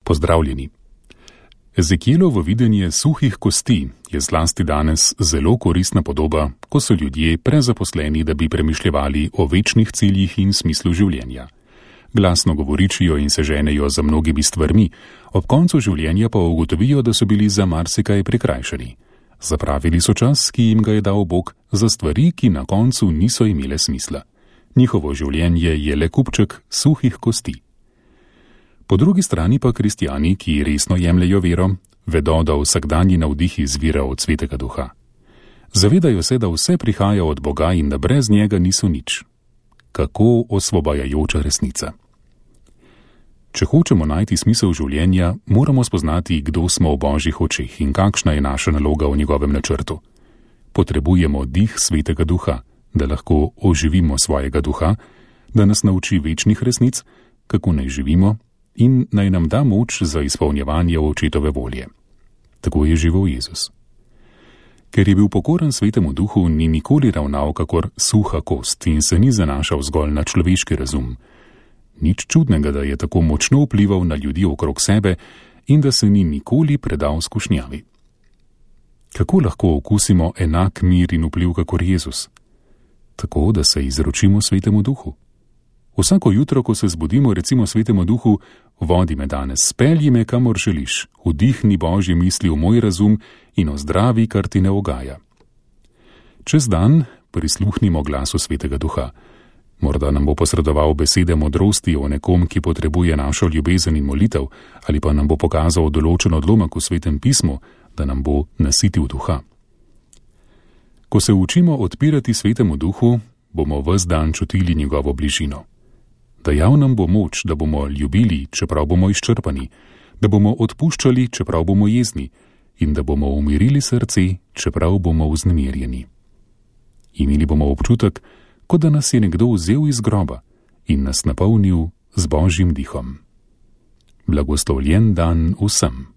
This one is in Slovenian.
Pozdravljeni. Ezekielovo videnje suhih kosti je zlasti danes zelo koristna podoba, ko so ljudje prezaposleni, da bi premišljevali o večnih ciljih in smislu življenja. Glasno govoričijo in se ženejo za mnogimi stvarmi, ob koncu življenja pa ugotovijo, da so bili za marsikaj prikrajšani. Zapravili so čas, ki jim ga je dal Bog, za stvari, ki na koncu niso imele smisla. Njihovo življenje je le kupček suhih kosti. Po drugi strani pa kristjani, ki resno jemljejo vero, vedo, da vsakdanji navdih izvira od Svetega Duha. Zavedajo se, da vse prihaja od Boga in da brez njega niso nič. Kako osvobajajoča resnica. Če hočemo najti smisel življenja, moramo spoznati, kdo smo v Božjih očeh in kakšna je naša naloga v njegovem načrtu. Potrebujemo dih Svetega Duha, da lahko oživimo svojega duha, da nas nauči večnih resnic, kako naj živimo, in naj nam da moč za izpolnjevanje očetove volje. Tako je živel Jezus. Ker je bil pokoren Svetemu Duhu, ni nikoli ravnal kakor suha kost in se ni zanašal zgolj na človeški razum. Nič čudnega, da je tako močno vplival na ljudi okrog sebe in da se ni nikoli predal skušnjavi. Kako lahko okusimo enak mir in vpliv kakor Jezus? Tako, da se izročimo Svetemu Duhu. Vsako jutro, ko se zbudimo, recimo Svetemu Duhu: vodi me danes, spelji me, kamor želiš, vdihni Božje misli v moj razum in ozdravi, kar ti ne ugaja. Čez dan prisluhnimo glasu Svetega Duha. Morda nam bo posredoval besede modrosti o nekom, ki potrebuje našo ljubezen in molitev, ali pa nam bo pokazal določen odlomek v Svetem pismu, da nam bo nasitil duha. Ko se učimo odpirati Svetemu Duhu, bomo ves dan čutili njegovo bližino. Dajal nam bo moč, da bomo ljubili, čeprav bomo izčrpani, da bomo odpuščali, čeprav bomo jezni, in da bomo umirili srce, čeprav bomo vznemirjeni. Imeli bomo občutek, kot da nas je nekdo vzel iz groba in nas napolnil z Božjim dihom. Blagoslovljen dan vsem.